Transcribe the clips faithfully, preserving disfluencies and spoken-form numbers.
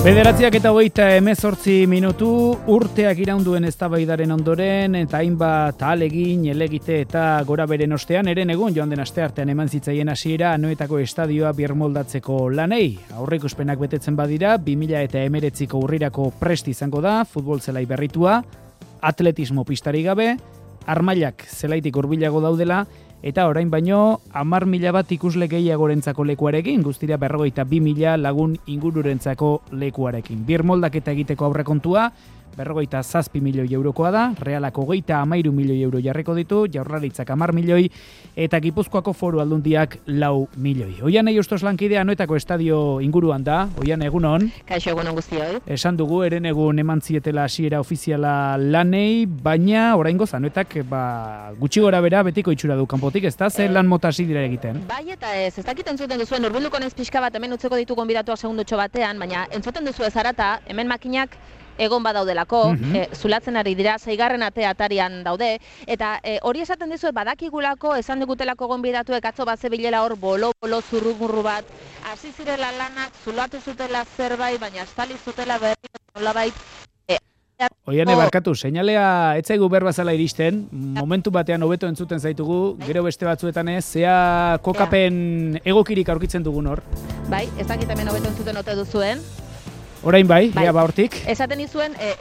Bederatziak eta hogeita hemezortzi minutu urteak iraunduen eztabaidaren ondoren eta hainbat ahalegin, helegite eta gora beren ostean eren egun joan den asteartean eman zitzaien hasiera Anoetako estadioa birmoldatzeko lanei. Aurreikuspenak betetzen badira, bi mila hemeretziko urrirako prest izango da, futbol zelai berritua, atletismo pistari gabe, armailak zelaitik hurbilago daudela, eta orain baino hamar mila bat ikusle gehiagorentzako lekuarekin, guztira berrogeita bi mila lagun ingururentzako lekuarekin. Birmoldaketa egiteko aurrekontua, berrogeita zazpi milioi eurokoa da, Realak hogeita hamairu milioi euro jarriko ditu, Jaurlaritzak hamar milioi, eta Gipuzkoako Foru Aldundiak lau milioi. Oiane Justos lankidea Anoetako estadio inguruan da, Oiane egunon. Kaixo egunon guztioi. Esan dugu, eren egun eman zietela hasiera ofiziala lanei, baina oraingoz Anoetak ba, gutxi gora bera betiko itxura du kanpotik, ez da? Zer lan mota hasi dira egiten? Bai eta ez, ez dakit entzuten duzuen, urbilduko naiz pixka bat hemen utzeko ditu gonbidatuak segundotxo batean, baina entzuten duzu ez arata, hemen makinak egon badaudelako, mm-hmm. e, zulatzen ari dira, seigarren ate atarian daude, eta e, hori esaten dizuet badakigulako, esan digutelako gonbidatuek atzo bat zebilela hor bolo-bolo zurrumurru bat, hasi zirela lanak, zulatu zutela zerbait, baina estali zutela berri nolabait. E, Oiane, barkatu, seinalea etzaigu berbazala iristen, momentu batean hobeto entzuten zaitugu, gero beste batzuetan ez, zea kokapen egokirik aurkitzen dugun hor. Bai, ez dakit hemen hobeto entzuten ote duzuen. Orain bai, bai. Ea ba hortik. Esaten izuen... E,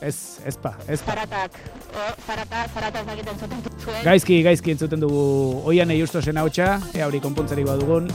ez, ez pa, ez pa. Zaratak, o, zaratak, zaratak ez dakit entzuten duzuen. Gaizki, gaizki entzuten dugu Oiane Justosen hautsa, ea hori konpontzari badugun.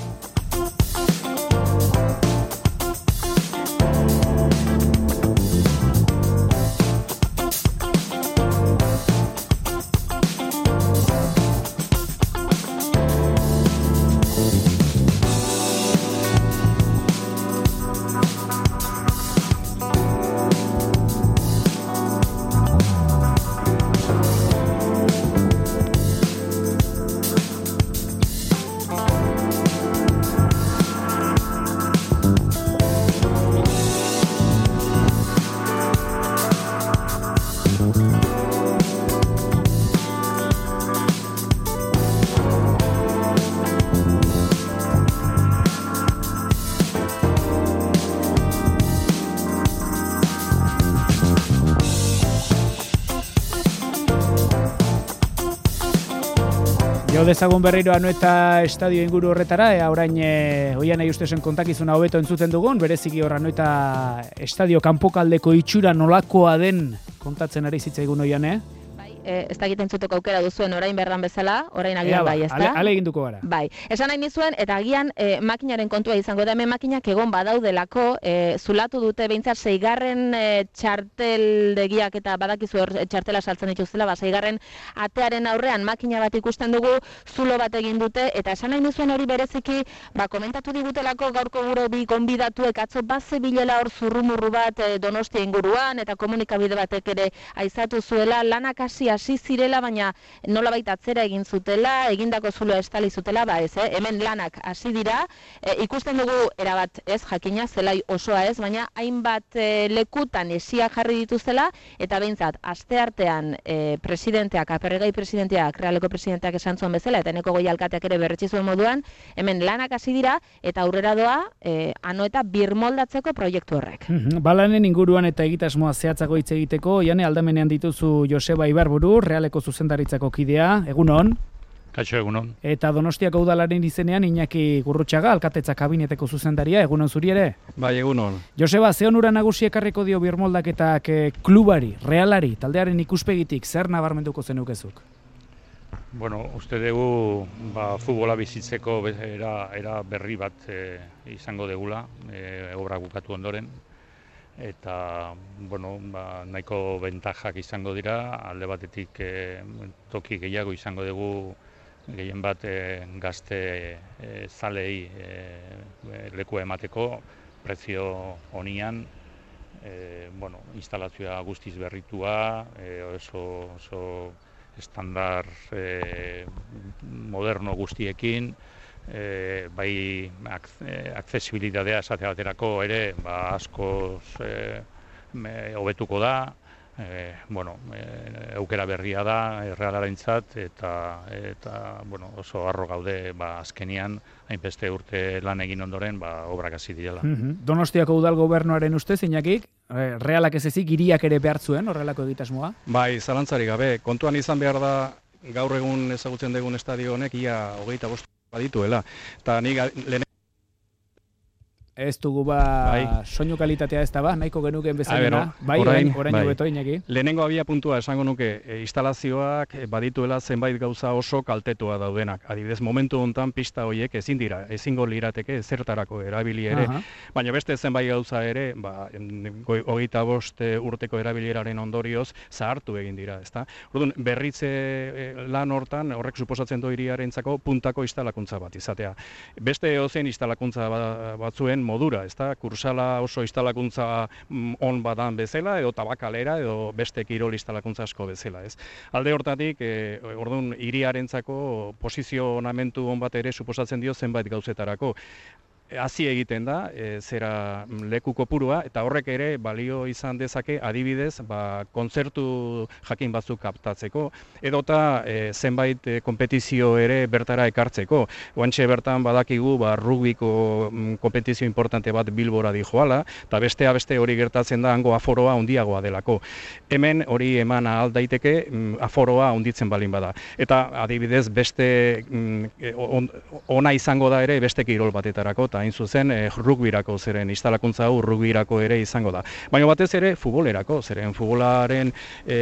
Jo dezagun berriro Anoeta estadio inguru horretara, ea orain e, Oiane Justesen kontakizuna hobeto entzuten dugun, bereziki hor Anoeta estadio kanpokaldeko itxura nolakoa den kontatzen ari zitzaigun Oiane. E, ez dakit entzuteko aukera duzuen orain berran bezala, orain agian bai, ez da? Ale, ale eginduko gara. Bai, esan nahi nizuen, eta agian e, makinaren kontua izango da, hemen makinak egon badaudelako, e, zulatu dute behintzat seigarren e, txarteldegiak eta badakizu hor txartela saltzen dituztela, ba, seigarren atearen aurrean makina bat ikusten dugu, zulo bat egin dute, eta esan nahi nizuen hori bereziki, ba, komentatu digutelako gaurko gure bi gonbidatuek atzo baze bilela hor zurrumurru bat e, Donostia inguruan, eta komunikabide batek ere aizatu zuela, lanak hasi hasi zirela, baina nolabait atzera egin zutela, egindako zuloa estali zutela, ba ez, eh? Hemen lanak hasi dira, e, ikusten dugu erabat ez jakina, zelai osoa ez, baina hainbat e, lekutan esia jarri dituzela, eta behintzat, asteartean e, presidenteak, aperregai presidenteak, Realeko presidenteak esan zuen bezala, eta eneko goi alkateak ere berretsi zuen moduan, hemen lanak hasi dira, eta aurrera doa, e, Anoeta birmoldatzeko proiektu horrek. Balanen inguruan eta egitasmoa zehatzago hitz egiteko, Jane aldamenean dituzu Joseba Ibarburu, Realeko zuzendaritzako kidea, egunon. Kaixo egunon. Eta Donostiako udalaren izenean Iñaki Gurrutxaga, alkatetza kabineteko zuzendaria, egunon zuri ere? Bai, egunon. Joseba, ze onura nagusi ekarriko dio birmoldaketak klubari, realari, taldearen ikuspegitik, zer nabarmenduko zenukezuk? Bueno, uste dugu ba, futbola bizitzeko era, era berri bat e, izango degula, e, obra bukatu ondoren. Eta bueno, ba, nahiko bentajak izango dira, alde batetik e, toki gehiago izango dugu gehien bat e, gazte e, zalei e, lekua emateko, prezio honian, e, bueno, instalazioa guztiz berritua, e, oso, oso estandar e, moderno guztiekin, E, bai ak, e, aksesibilitatea esate baterako ere ba, askoz e, hobetuko da, e, bueno, e, aukera berria da Errealarentzat eta eta bueno, oso harro gaude ba azkenian hainbeste urte lan egin ondoren ba obrak hasi direla. Mm-hmm. Donostiako udal gobernuaren ustez Iñakik, Realak ez ezik hiriak ere behar zuen horrelako egitasmoa? Bai, zalantzarik gabe, kontuan izan behar da gaur egun ezagutzen dugun estadio honek ia hogeita bost badituela. Eta nik lehen Ez dugu ba bai. Soinu kalitatea ez da ba, nahiko genuken bezalena. Bai, orain, orain bai. Hobeto, Iñaki. Lehenengo abia puntua esango nuke, e, instalazioak badituela zenbait gauza oso kaltetua daudenak. Adibidez, momentu hontan pista horiek ezin dira, ezingo lirateke zertarako erabili ere. Aha. Baina beste zenbait gauza ere, ba, hogeita bost urteko erabileraren ondorioz zahartu egin dira, ezta? Orduan, berritze lan hortan, horrek suposatzen du hiriarentzako puntako instalakuntza bat izatea. Beste ozen instalakuntza batzuen modura, ezta? Kursala oso instalakuntza on badan bezala, edo tabakalera, edo beste kirol instalakuntza asko bezala, ez? Alde hortatik, e, orduan, hiriarentzako posizionamentu on bat ere suposatzen dio zenbait gauzetarako. Hazi egiten da, e, zera leku kopurua, eta horrek ere balio izan dezake adibidez, ba, kontzertu jakin batzuk kaptatzeko, edota e, zenbait e, kompetizio ere bertara ekartzeko. Oantxe bertan badakigu ba, rugbiko mm, kompetizio importante bat Bilbora dijoala, eta bestea beste hori gertatzen da hango aforoa handiagoa delako. Hemen hori eman ahal daiteke mm, aforoa handitzen balin bada. Eta adibidez beste mm, on, ona izango da ere beste kirol batetarako, hain zuzen e, rugbirako zeren instalakuntza hau rugbirako ere izango da. Baina batez ere futbolerako, zeren futbolaren e,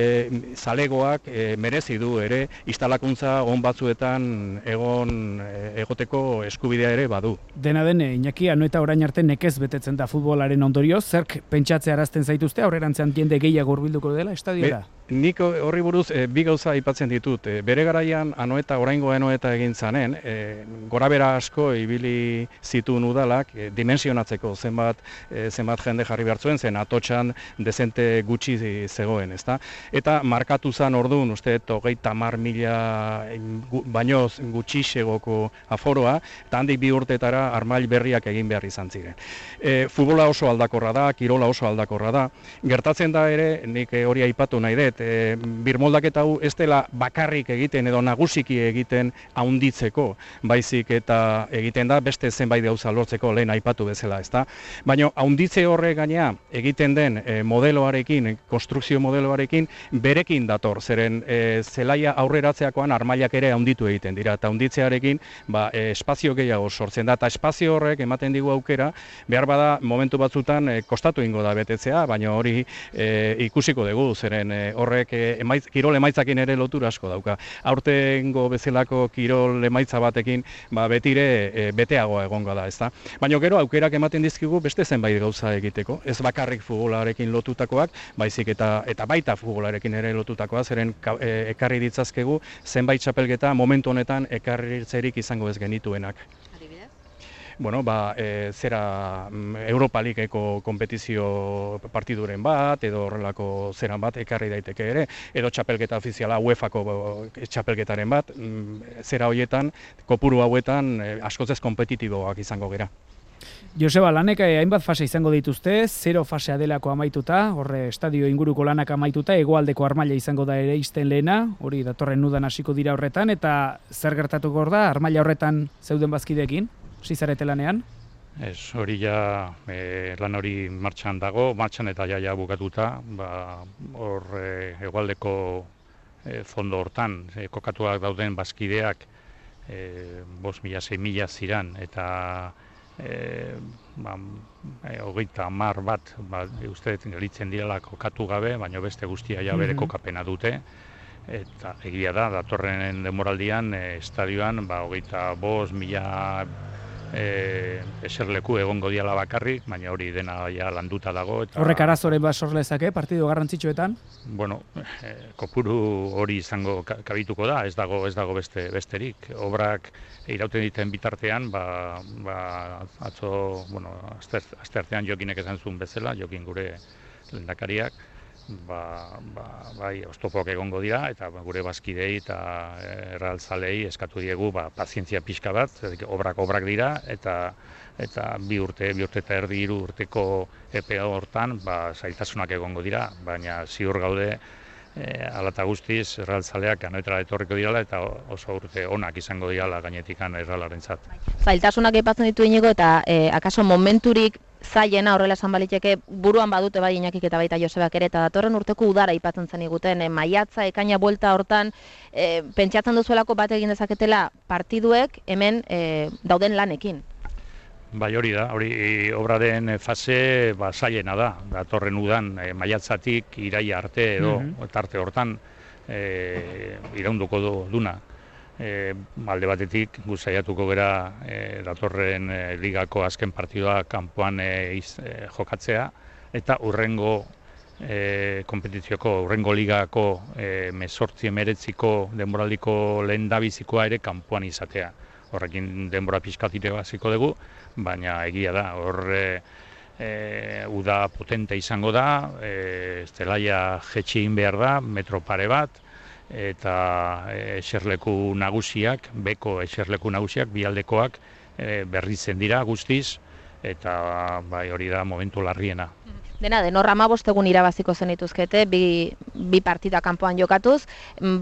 zalegoak e, merezi du ere instalakuntza on batzuetan egon e, egoteko eskubidea ere badu. Dena den, Iñaki, Anoeta orain arte nekez betetzen da futbolaren ondorioz, zerk pentsatzea arazten zaituzte, aurrerantzean jende gehiago hurbilduko dela estadioa? Nik horri buruz e, bi gauza aipatzen ditut. E, bere garaian Anoeta, oraingo Anoeta egin zanen, e, gorabera asko ibili zituen udalak e, dimensionatzeko zenbat e, zenbat jende jarri behartzuen, zen atotxan dezente gutxi zegoen, ezta? Eta markatu zan orduan, uste, hogeita hamar mila baino gutxixegoko aforoa, eta handik bi urtetara armail berriak egin behar izan ziren. E, futbola oso aldakorra da, kirola oso aldakorra da. Gertatzen da ere, nik hori aipatu nahi dut, e, birmoldaketa hau ez dela bakarrik egiten edo nagusiki egiten haunditzeko, baizik eta egiten da beste zenbait gauza lortzeko lehen aipatu bezala, ezta? Baina haunditze horre gainea egiten den e, modeloarekin, konstrukzio modeloarekin berekin dator, zeren e, zelaia aurreratzeakoan armailak ere haunditu egiten dira, eta haunditzearekin ba, e, espazio gehiago sortzen da, eta espazio horrek ematen digu aukera, behar bada momentu batzutan e, kostatu ingo da betetzea, baina hori e, ikusiko dugu, zeren e, horrek e, emaitz, kirol emaitzakin ere lotura asko dauka. Aurtengo bezalako kirol emaitza batekin ba, betire e, beteagoa egongo da, ezta? Baina gero aukerak ematen dizkigu beste zenbait gauza egiteko, ez bakarrik futbolarekin lotutakoak, baizik eta eta baita futbolarekin ere lotutakoa, zeren e, ekarri ditzazkegu zenbait txapelketa momentu honetan ekarritzerik izango ez genituenak. Bueno, ba, e, zera Europa Ligeko kompetizio partiduren bat, edo horrelako zeran bat ekarri daiteke ere, edo txapelketa ofiziala UEFako txapelketaren bat, zera horietan, kopuru hauetan askoz ez kompetitiboak izango gera. Joseba, lanek hainbat fase izango dituzte, zero fasea delako amaituta, horre estadio inguruko lanak amaituta, hegoaldeko armaila izango da ere izten lehena, hori datorren udan hasiko dira horretan, eta zer gertatuko da, armaila horretan zeuden bazkideekin? Zizarete lanean? Ez, hori ja e, lan hori martxan dago, martxan eta jaia bukatuta, ba, hor e, hegoaldeko e, fondo hortan, e, kokatuak dauden bazkideak e, bost mila, sei mila ziran, eta e, ba, e, hogeita hamar bat, ba, uste gelitzen direla kokatu gabe, baina beste guztia ja bere kokapena dute. Eta egia da, datorren denboraldian, e, estadioan, ba, hogeita bost mila E, eserleku egongo diala bakarrik, baina hori dena ja landuta dago. Eta, horrek arazoren bat sor lezake, partidu garrantzitsuetan? Bueno, e, kopuru hori izango kabituko da, ez dago ez dago beste besterik. Obrak irauten diten bitartean, ba, ba atzo, bueno, aste artean Jokinek esan zuen bezala, Jokin gure lehendakariak, ba, ba, bai, oztopoak egongo dira, eta gure bazkidei eta erraltzalei eskatu diegu ba, pazientzia pixka bat, obrak obrak dira, eta eta bi urte, bi urte eta erdi hiru urteko epe hortan ba, zailtasunak egongo dira, baina ziur gaude e, alata guztiz erraltzaleak anoetara etorriko dirala eta oso urte onak izango dirala gainetikan erralarentzat. Zailtasunak aipatzen ditu Inigo eta e, akaso momenturik zailena horrela esan baliteke buruan badute bai Iñakik eta baita Josebak ere, eta datorren urteko udara aipatzen zen iguten, e, maiatza, ekaina buelta hortan, e, pentsatzen duzuelako bat egin dezaketela partiduek hemen e, dauden lanekin. Bai, hori da, hori obraren fase ba, zailena da, datorren udan e, maiatzatik iraia arte edo mm-hmm. tarte hortan e, iraunduko du, duna. E, alde batetik guzaiatuko gera e, datorren e, ligako azken partidua kanpoan e, iz, e, jokatzea eta urrengo e, kompetizioko, urrengo ligako e, mezortzi emeretziko denboraldiko lehendabizikoa ere kanpoan izatea. Horrekin denbora pixkatire hasiko dugu, baina egia da, hor e, e, uda potente izango da, e, zelaia jetxe egin behar da, metro pare bat, eta eserleku nagusiak, beko eserleku nagusiak, bialdekoak e, berritzen dira guztiz, eta bai, hori da momentu larriena. Dena den, horra hamabost egun irabaziko zenituzkete, bi, bi partida kanpoan jokatuz,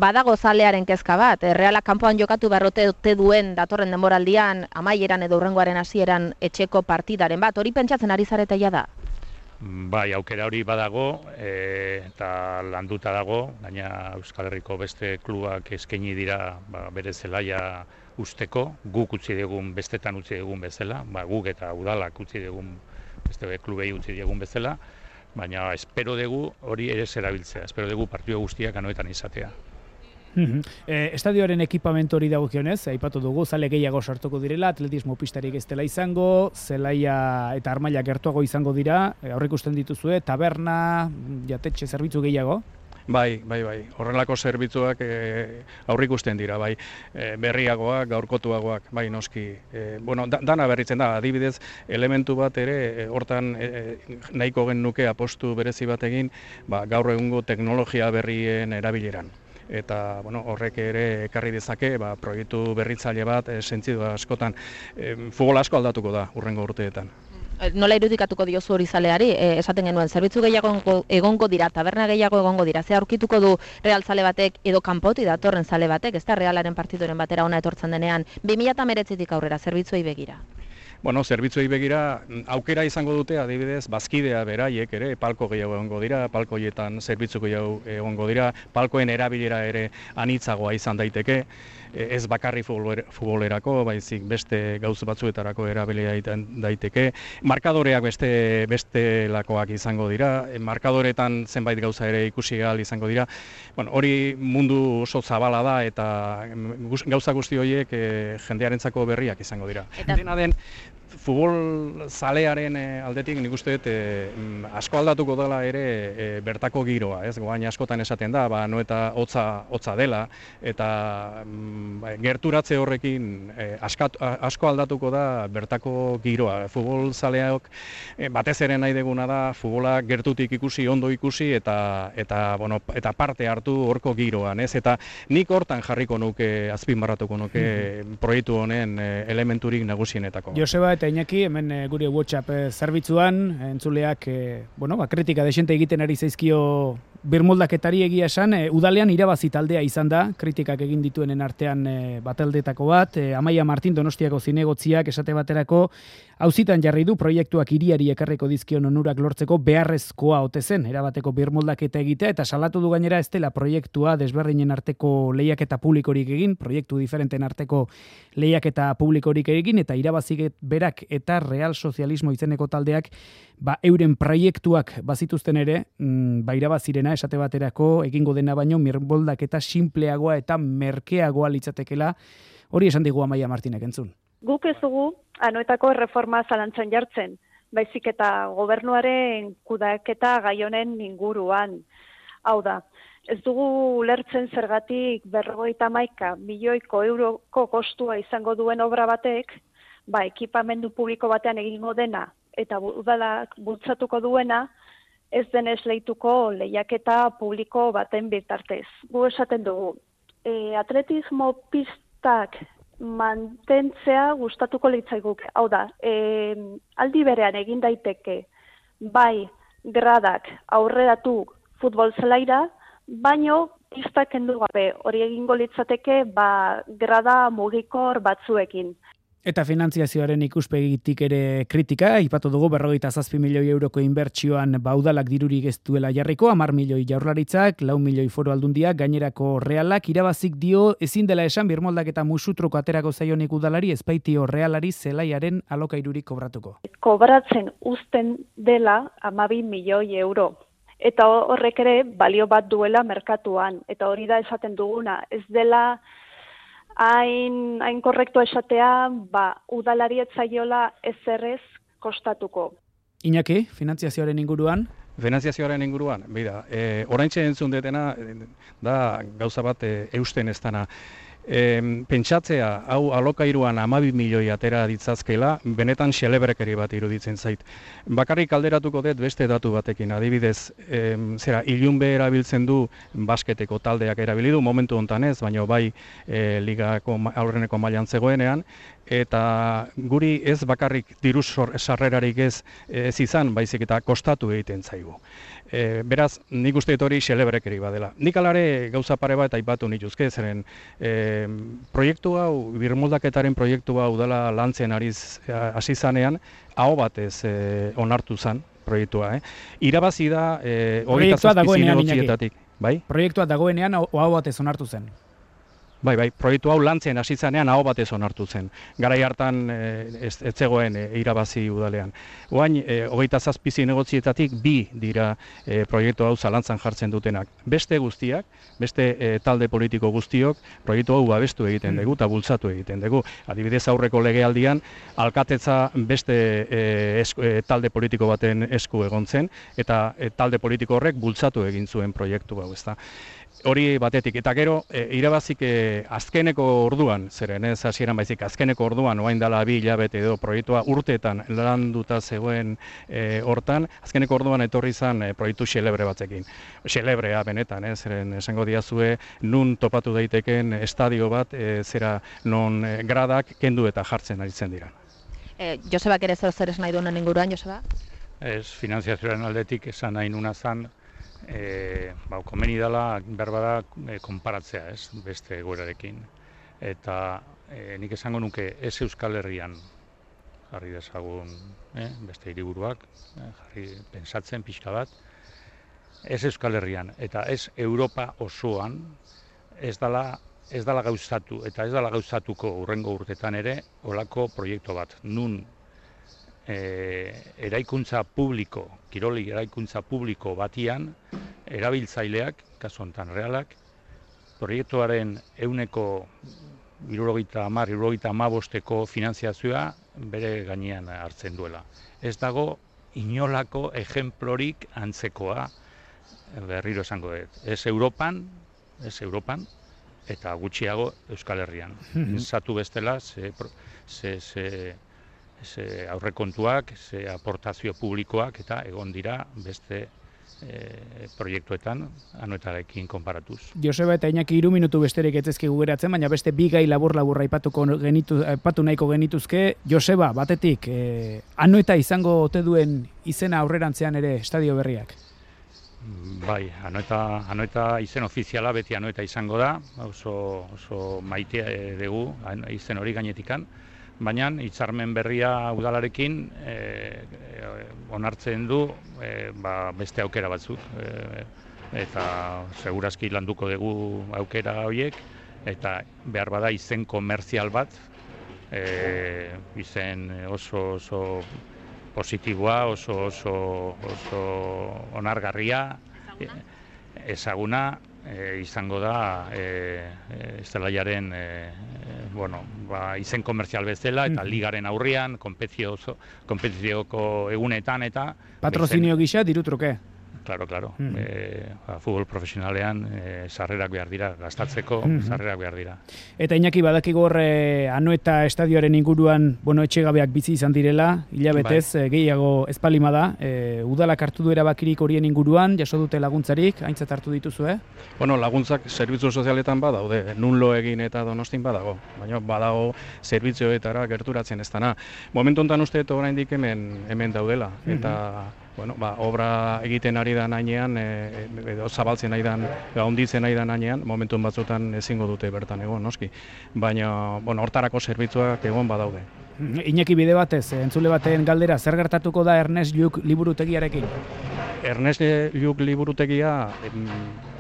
badago zalearen kezka bat, Realak kanpoan jokatu beharrote duen datorren denboraldian, amaieran edo hurrengoaren hasieran etxeko partidaren bat, hori pentsatzen ari zareteia da? Bai, aukera hori badago e, eta landuta dago, gaina Euskal Herriko beste klubak eskaini dira ba, bere zelaia usteko, guk utzi dugun bestetan utzi dugun bezala, ba, guk eta udalak utzi dugun beste klubei utzi dugun bezala, baina espero dugu hori ere zerabiltzea, espero dugu partidu guztiak anoetan izatea. Mm-hmm. eh, estadioaren ekipamentu hori dagokionez, aipatu dugu, zale gehiago sartuko direla, atletismo pistarik ez dela izango, zelaia eta armaila gertuago izango dira, e, aurre ikusten dituzue, taberna, jatetxe zerbitzu gehiago? Bai, bai, bai. Horrelako zerbitzuak e, aurrikusten dira, bai. E, berriagoak, gaurkotuagoak, bai, noski. E, bueno, da, dana berritzen da, adibidez, elementu bat ere, e, hortan e, nahiko gen nuke apostu berezi bat egin, ba, gaur egungo teknologia berrien erabileran. Eta bueno, horrek ere ekarri dezake ba, proiektu berritzaile bat e, sentidu askotan. E, futbol asko aldatuko da hurrengo urteetan. Nola irudikatuko diozu hori zaleari, e, esaten genuen, zerbitzu gehiago egongo dira, taberna gehiago egongo dira, ze aurkituko du Real zale batek edo kanpoti datorren zale batek, ez da Realaren partidoren batera ona etortzen denean, bi mila hemeretzitik aurrera zerbitzuei begira? Bueno, zerbitzuei begira aukera izango dute, adibidez, bazkidea beraiek ere, palko gehiago egongo dira, palkoietan zerbitzu gehiago egongo dira, palkoen erabilera ere anitzagoa izan daiteke, ez bakarri futbolerako, baizik beste gauza batzuetarako erabilia daiteke. Markadoreak beste bestelakoak izango dira, markadoretan zenbait gauza ere ikusi ahal izango dira. Bueno, hori mundu oso zabala da eta gauza guzti horiek e, jendearentzako berriak izango dira. Eta dena den, futbol zalearen aldetik nik uste dut e, asko aldatuko dela ere e, bertako giroa, ez? Goain askotan esaten da, ba, no eta hotza hotza dela eta mm, gerturatze horrekin e, askat, asko aldatuko da bertako giroa. Futbol zaleak e, batez ere nahi deguna da futbola gertutik ikusi, ondo ikusi eta eta bueno, eta parte hartu horko giroan, ez? Eta nik hortan jarriko nuke, azpimarratuko nuke mm-hmm. proiektu honen e, elementurik nagusienetako. Joseba eta Iñaki, hemen e, gure WhatsApp e, zerbitzuan, entzuleak, e, bueno, ba, kritika desente egiten ari zaizkio birmoldaketari egia esan, e, udalean irabazi taldea izan da, kritikak egin dituenen artean e, bataldetako bat, e, Amaia Martin Donostiako zinegotziak esate baterako, auzitan jarri du proiektuak hiriari ekarriko dizkion onurak lortzeko beharrezkoa ote zen, erabateko birmoldaketa egitea, eta salatu du gainera ez dela proiektua desberdinen arteko lehiaketa publikorik egin, proiektu diferenten arteko lehiaketa publikorik egin, eta irabazi berak eta Real Sozialismo izeneko taldeak ba, euren proiektuak bazituzten ere, mm, ba, irabazirena esate baterako egingo dena baino birmoldaketa simpleagoa eta merkeagoa litzatekela, hori esan digu Amaia Martinek entzun. Guk ez dugu anoetako erreforma zalantzan jartzen, baizik eta gobernuaren kudeaketa gai honen inguruan. Hau da, ez dugu ulertzen zergatik berrogeita hamaika milioiko euroko kostua izango duen obra batek, ba, ekipamendu publiko batean egingo dena eta udalak bultzatuko duena, ez denez lehituko lehiaketa publiko baten bitartez. Gu esaten dugu, e, atletismo pistak mantentzea gustatuko litzaiguke. Hau da, e, aldi berean egin daiteke bai gradak aurreratu futbol zelaira, baino pistak kendu gabe, hori egingo litzateke ba, grada mugikor batzuekin. Eta finantziazioaren ikuspegitik ere kritika, aipatu dugu berrogeita zazpi milioi euroko inbertsioan baudalak dirurik ez duela jarriko, hamar milioi jaurlaritzak, lau milioi foru aldundiak, gainerako realak, irabazik dio ezin dela esan birmoldak eta musutroko aterako zaionik udalari ezpaitio realari zelaiaren alokairurik kobratuko. Kobratzen uzten dela hamabi milioi euro. Eta horrek ere balio bat duela merkatuan. Eta hori da esaten duguna, ez dela hain, hain korrektu esatea, ba, udalari ez zaiola ezerrez kostatuko. Iñaki, finantziazioaren inguruan? Finantziazioaren inguruan, bida, e, oraintxe entzun detena, da gauza bat e, eusten ez dana. E, pentsatzea, hau alokairuan hamabi milioi atera ditzazkela, benetan xelebrekeri bat iruditzen zait. Bakarrik alderatuko dut beste datu batekin, adibidez, e, zera, ilunbe erabiltzen du basketeko taldeak erabili du, momentu hontan ez, baina bai e, ligako aurreneko mailan zegoenean, eta guri ez bakarrik diru sarrerarik ez, ez izan, baizik eta kostatu egiten zaigu. E, beraz, nik uste dut hori xelebrekeri badela. Nik alare gauza pare bat aipatu nituzke, zeren e, proiektu hau, birmoldaketaren proiektu hau dela lantzen ariz hasi zanean, aho batez e, onartu zen proiektua. Eh? Irabazi da e, hogeita zazpi zinegotzietatik. Bai? Proiektua dagoenean aho batez onartu zen. Bai, bai, proiektu hau lantzen hasi zanean aho batez onartu zen. Garai hartan ez zegoen e, irabazi udalean. Oain, e, hogeita zazpi zinegotzietatik bi dira e, proiektu hau zalantzan jartzen dutenak. Beste guztiak, beste e, talde politiko guztiok, proiektu hau babestu egiten dugu eta bultzatu egiten dugu. Adibidez aurreko legealdian, alkatetza beste e, esku, e, talde politiko baten esku egon zen, eta e, talde politiko horrek bultzatu egin zuen proiektu hau, ezta. Hori batetik, eta gero, e, irabazik e, azkeneko orduan, zeren ez hasieran baizik, azkeneko orduan, oain dela bi hilabete edo proiektua urteetan landuta zegoen e, hortan, azkeneko orduan etorri zan e, proiektu xelebre batzekin. Xelebrea benetan, eh, zeren esango diazue, nun topatu daiteken estadio bat, e, zera non e, gradak kendu eta jartzen aritzen dira. E, Josebak ere zer zer esan nahi duenen inguruan, Joseba? Ez, finantziazioaren aldetik esan nahi nuna zan, E, ba, komeni dela berbada e, konparatzea, ez, beste egoerarekin. Eta e, nik esango nuke ez Euskal Herrian jarri dezagun e, beste hiriburuak, e, jarri pentsatzen pixka bat, ez Euskal Herrian eta ez Europa osoan ez dela, ez dela gauzatu eta ez dela gauzatuko hurrengo urtetan ere olako proiektu bat. Nun E, eraikuntza publiko, kiroli eraikuntza publiko batian, erabiltzaileak, kasu honetan realak, proiektuaren ehuneko hirurogeita hamar, hirurogeita hamabosteko finantziazioa bere gainean hartzen duela. Ez dago inolako ejemplorik antzekoa, berriro esango dut. Ez Europan, ez Europan, eta gutxiago Euskal Herrian. Zatu bestela, ze... ze, ze Ze aurrekontuak, ze aportazio publikoak eta egon dira beste e, proiektuetan anoetarekin konparatuz. Joseba eta Iñaki hiru minutu besterik etzezkigu geratzen, baina beste bi gai labur-labur aipatuko genitu, aipatu nahiko genituzke. Joseba, batetik, e, anoeta izango ote duen izena aurrerantzean ere estadio berriak? Bai, anoeta, anoeta izen ofiziala beti anoeta izango da, oso, oso maitea dugu izen hori gainetikan. Baina hitzarmen berria udalarekin e, e, onartzen du e, ba, beste aukera batzuk. E, eta segurazki landuko dugu aukera horiek, eta behar bada izen komerzial bat, e, izen oso, oso positiboa, oso, oso, oso onargarria, ezaguna, E, izango da e, e, Estelaiaren e, e, bueno, ba, izen komerzial bezala eta ligaren aurrian, konpetizioko egunetan eta... Patrozinio gisa, diru truke. Claro, claro. Mm. E, ba, futbol profesionalean e, sarrerak behar dira, gastatzeko Mm. sarrerak behar dira. Eta Iñaki badakigu hor eh, Anoeta estadioaren inguruan, bueno, etxegabeak bizi izan direla, hilabetez Bai. eh, gehiago ez palima da. Eh, udalak hartu du erabakirik horien inguruan, jaso dute laguntzarik, aintzat hartu dituzu, eh? Bueno, laguntzak zerbitzu sozialetan badaude, nun lo egin eta Donostin badago, baina badago zerbitzuetara gerturatzen ez dana. Momentu honetan uste dut oraindik hemen hemen daudela, eta bueno, ba, obra egiten ari da nainean, e, edo zabaltzen ari dan, handitzen ari da nainean, momentu batzutan ezingo dute bertan egon, noski. Baina, bueno, hortarako zerbitzuak egon badaude. Iñaki bide batez, eh, entzule baten galdera, zer gertatuko da Ernest Lluch liburutegiarekin? Ernest Lluch liburutegia em,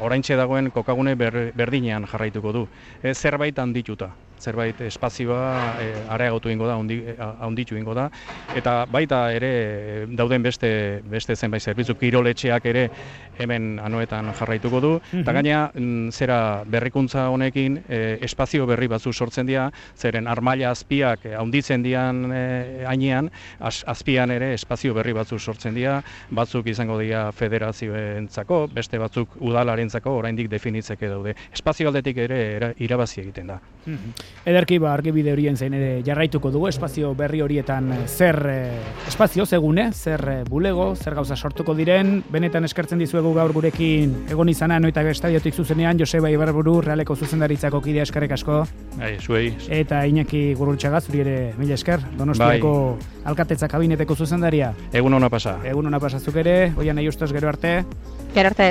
oraintxe dagoen kokagune ber, berdinean jarraituko du. E, zerbait handituta, zerbait espazioa e, areagotu ingo da, handi, handitu ingo da, eta baita ere dauden beste beste zenbait zerbitzu kiroletxeak ere hemen Anoetan jarraituko du, eta gaina mm, zera berrikuntza honekin e, espazio berri batzu sortzen dira, zeren armaila azpiak handitzen dian e, hainean, az, azpian ere espazio berri batzu sortzen dira, batzuk izango dira federazioentzako, beste batzuk udalarentzako oraindik definitzeke daude. Espazio aldetik ere era, irabazi egiten da. Ederki ba argibide horien zein ere jarraituko dugu espazio berri horietan zer eh, espazio zegune, zer eh, bulego, zer gauza sortuko diren, benetan eskertzen dizuegu gaur gurekin egon izana Anoetako estadiotik zuzenean Joseba Ibarburu Realeko zuzendaritzako kidea eskerrik asko. Bai, zuei. Eta Iñaki Gurrutxaga zuri ere mila esker, Donostiako bai. Alkatetza kabineteko zuzendaria. Egun ona pasa. Egun ona pasazuk ere, oian nahi ustez gero arte. Gero arte.